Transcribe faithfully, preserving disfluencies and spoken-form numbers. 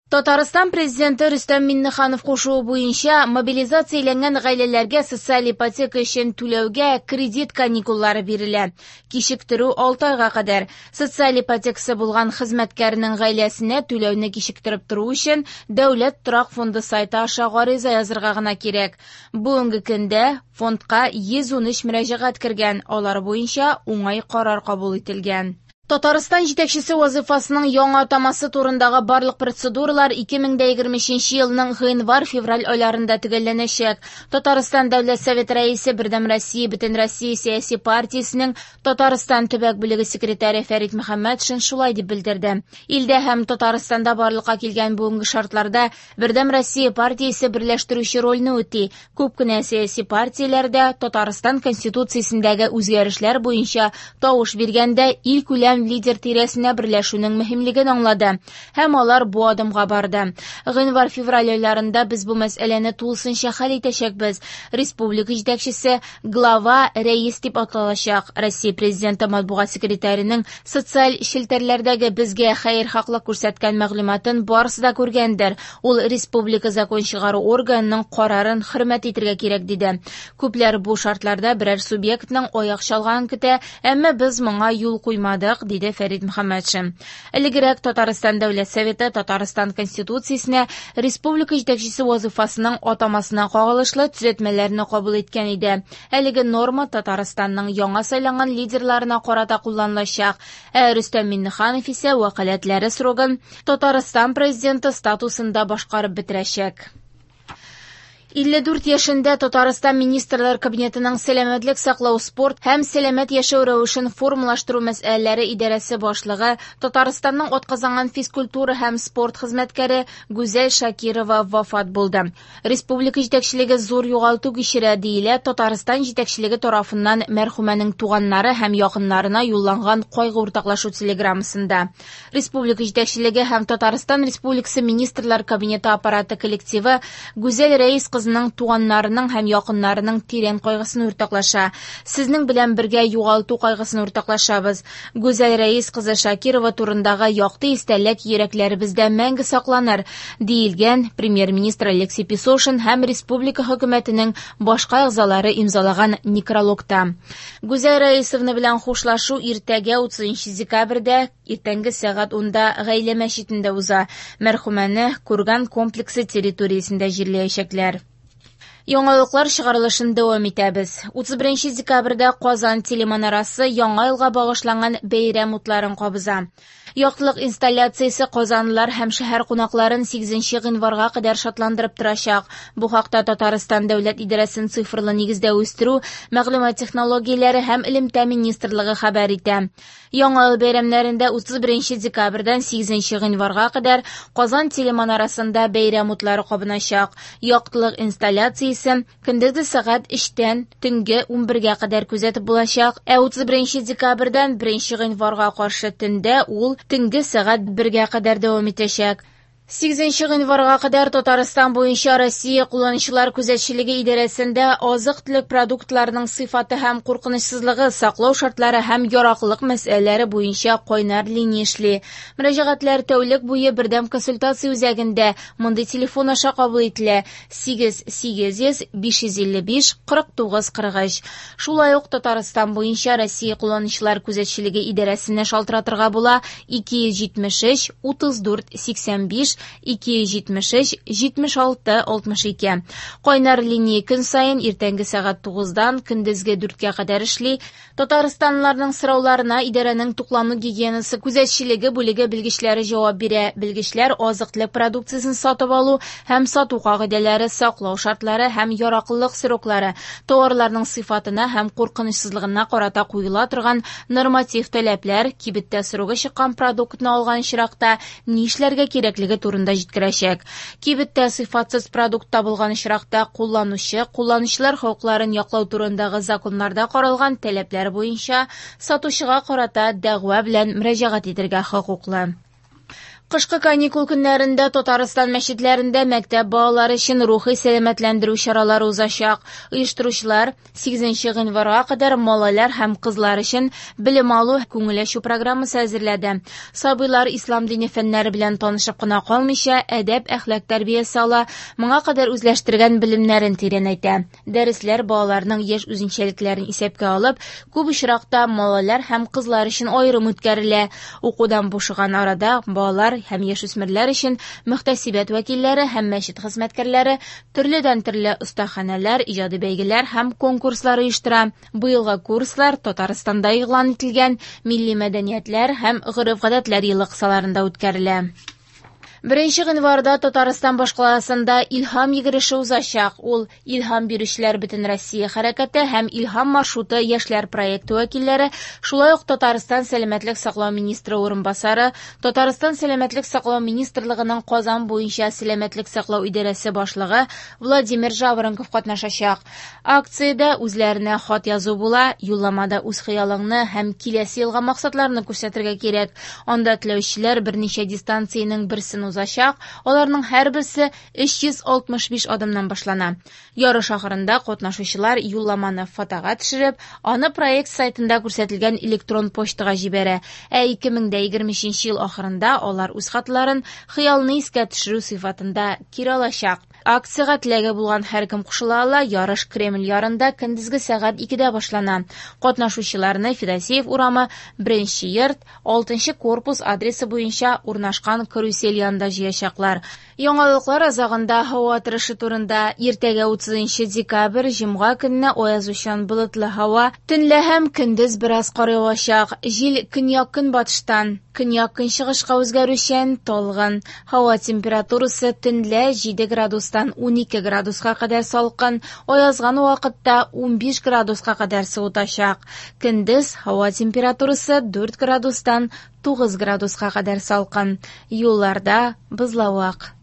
Татарстан президенты Рөстәм Миңнеханов кушуы буенча мобилизацияләнгән гаиләләргә социаль ипотека өчен түләүгә кредит каникуллары бирелә. Кичектерү алты айга кадәр. Социаль ипотекасы булган хезмәткәрнең гаиләсенә түләүне кичектереп тору өчен Дәүләт торак фонды сайты аша гариза язырга гына кирәк. Бүгенге көндә фондка йөз ун өч мөрәҗәгать кергән, алар буенча уңай карар кабул ителгән. Татарстан җитәкчесе вазифасының яңа атамасы турындагы барлык процедуралар ике мең дә егерме өченче елның гыйнвар-февраль айларында төгәлләнәчәк. Татарстан Дәүләт Советы рәисе, Бердәм Россия Бөтенроссия сәяси партиясенең Татарстан төбәк бүлеге секретаре Фәрит Мөхәммәтшин шулай дип белдерде. Илдә һәм Татарстанда барлыкка килгән бүгенге шартларда Бердәм Россия партиясе берләштерүче рольне үти. Күп кенә сәяси партияләрдә Татарстан Конституциясендәге үзгәрешләр буенча тавыш биргәндә илкүләм лидер тирәсенә берләшүнең мөһимлеген аңлады һәм алар бу адымга барды. Гыйнвар-февраль айларында без бу мәсьәләне тулысынча хәл итәчәкбез. Республика җитәкчесе глава рәис дип аталачак. Россия президенты матбугат секретарының социаль челтәрләрдәге безгә хәерхаклык күрсәткән мәгълүматын барысы да күргәндер. Ул республика закон чыгару органының карарын хөрмәт итәргә кирәк диде. Күпләр бу шартларда берәр субъектның аяк чалганын көтә, әмма без моңа юл куймадык, диде Фәрит Мөхәммәтшин. Элегрәк Татарстан Дәүләт Советы Татарстан Конституциясенә республика җитәкчесе вазифасының атамасына кагылышлы төзәтмәләрне кабул иткән иде. Әлеге норма Татарстанның яңа сайланган лидерларына карата кулланылачак. Ә Рөстәм Миңнеханов исә вәкаләтләре срогын Татарстан президенты статусында башкарып бетерәчәк. Илле дүрт яшендә Татарстан Министрлар Кабинетының сәламәтлек саклау, спорт һәм сәламәт яшәү рәвешен формалаштыру мәсьәләләре идарәсе башлыгы, Татарстанның атказанган физкультура һәм спорт хезмәткәре Гүзәл Шакирова вафат булды. Республика җитәкчелеге зур югалту кичерә, диелә Татарстан җитәкчелеге тарафыннан мәрхүмәнең туганнары һәм якыннарына юлланган кайгы уртаклашу телеграммасында. Республика җитәкчелеге һәм Татарстан Республикасы Министрлар Кабинеты аппараты коллективы Гүзәл Рәис кызының туганнарының һәм якыннарының тирән кайгысын уртаклаша. Сезнең белән бергә югалту кайгысын уртаклашабыз. Гүзәл Рәис кызы Шакирова турындагы якты истәлек йөрәкләребездә мәңге сакланыр, диелгән премьер-министр Алексей Песошин һәм республика хөкүмәтенең башка әгъзалары имзалаган некрологта. Гүзәл Рәисовна белән хушлашу иртәгә утызынчы декабрьдә иртәнге сәгать унда Гаилә мәчетендә уза. Мәрхүмәне Курган комплексы территориясендә җирләячәкләр. Яңалыклар чыгарылышын дәвам итәбез. Утыз беренче декабрьдә Казан телеманарасы яңа елга багышланган бәйрәм утларын кабыза. Яктылык инсталляциясе казанлылар һәм шәһәр кунакларын сигезенче гыйнварга кадәр шатландырып торачак. Бу хакта Татарстан Дәүләт идарәсен цифрлы нигездә үстерү, мәгълүмат технологияләре һәм элемтә министрлыгы хәбәр итә. Яңа ел бәйрәмнәрендә утыз беренче декабрьдән сигезенче гыйнварга кадәр Казан телеманарасында бәйрәм утлары кабыначак. Яктылык инсталляциясе көндезге сәгать өчтән төнге унбергә кадәр күзәтеп булачак. Ә утыз беренче декабрьдән беренче гыйнварга каршы төндә ул төнге сәгать бергә кадәр дәвам итәчәк. Сигезенче гыйнварга кадәр Татарстан буенча Россия кулланучылар күзәтчелеге идарәсендә азык-төлек продуктларының сыйфаты һәм куркынычсызлыгы, саклау шартлары һәм яраклылык мәсьәләләре буенча кайнар линия эшли. Мөрәҗәгатьләр тәүлек буе бердәм консультация үзәгендә мондый телефон аша кабул ителә: сигез сигез йөз биш йөз илле биш кырык тугыз кырык өч. Шулай ук Татарстан буенча Россия кулланучылар күзәтчелеге идарәсенә шалтыратырга була: ике йөз җитмеш өч утыз дүрт сиксән биш ике йөз җитмеш өч җитмеш алты алтмыш ике. Кайнар линия көн саен иртәнге сәгать тугыздан көндезге дүрткә кадәр эшли. Татарстанлыларның сорауларына идарәнең туклану гигиенасы күзәтчелеге бүлеге белгечләре җавап бирә. Белгечләр азык-төлек продукциясен сатып алу һәм сату кагыйдәләре, саклау шартлары һәм яраклылык сроклары, товарларның сыйфатына һәм куркынычсызлыгына карата куела торган норматив таләпләр, кибеттә срогы чыккан продуктны алган очракта ни эшләргә кирәклеге турында җиткерәчәк. Кибеттә сыйфатсыз продукт табылган очракта кулланучы, кулланучылар хокукларын яклау турындагы законнарда каралган таләпләр буенча сатучыга карата дәгъва белән мөрәҗәгать итәргә хокуклы. Кышкы каникул көннәрендә Татарстан мәчетләрендә мәктәп балалары өчен рухи сәламәтләндерү чаралары узачак. Оештыручылар сигезенче гыйнварга кадәр малайлар һәм кызлар өчен белем алу, күңел ачу программасы әзерләде. Сабыйлар ислам дине фәннәре белән танышып кына калмыйча, әдәп-әхлак тәрбиясе ала, моңа кадәр үзләштергән белемнәрен тирәнәйтә. Дәресләр балаларның яшь үзенчәлекләрен исәпкә алып, күп очракта малайлар һәм кызлар өчен аерым үткәрелә. Укудан бушаган арада балалар һәм яшүсмерләр өчен мөхтәсибәт вәкилләре һәм мәчет хезмәткәрләре төрледән-төрле остаханәләр, иҗади бәйгеләр һәм конкурслар оештыра. Быелгы курслар Татарстанда игълан ителгән милли мәдәниятләр һәм гореф-гадәтләр елы кысаларында үткәрелә. Беренче гыйнварда Татарстан башкаласында Илһам йөгереше узачак. Ул Илһам бирүчеләр бөтен Россия хәрәкәте һәм Илһам маршруты яшьләр проекты вәкилләре, шулай ук Татарстан сәламәтлек саклау министры урынбасары, Татарстан сәламәтлек саклау министрлыгының Казан буенча сәламәтлек саклау идарәсе башлыгы Владимир Жаворонков катнашачак. Акциядә үзләренә хат язу була, юлламада үз хыялыңны һәм киләсе елга максатларны күрсәтергә кирәк. Анда теләүчеләр берничә дистанциянең берсен узачак, аларның һәрберсе өч йөз алтмыш биш адымнан башлана. Ярыш ахырында катнашучылар юлламаны фотога төшереп, аны проект сайтында күрсәтелгән электрон почтага җибәрә. Ә ике мең дә егерме өченче ел ахырында алар үз хатларын хыялны искә төшерү сыйфатында кире алачак. Акциягә теләге булган һәркем кушыла ала. Ярыш Кремль ярында көндезге сәгать икедә башлана. Катнашучыларны Федосеев урамы, беренче йорт, алтынчы корпус адресы буенча урнашкан карусель янында җыячаклар. Яңалыклар азагында һава торышы турында. Иртәгә утызынчы декабрь җомга көнне аязучан болытлы һава, төнлә һәм көндез бераз кар явачак. Җил көньяк-көнбатыштан көньяк-көнчыгышка үзгәрүчән, талгын. Һава температурасы төнлә җиде градустан унике градуска кадәр салкын, аязган вакытта унбиш градуска кадәр суытачак. Көндез һава температурасы дүрт градустан тугыз градуска кадәр салкын. Юлларда бозлавык.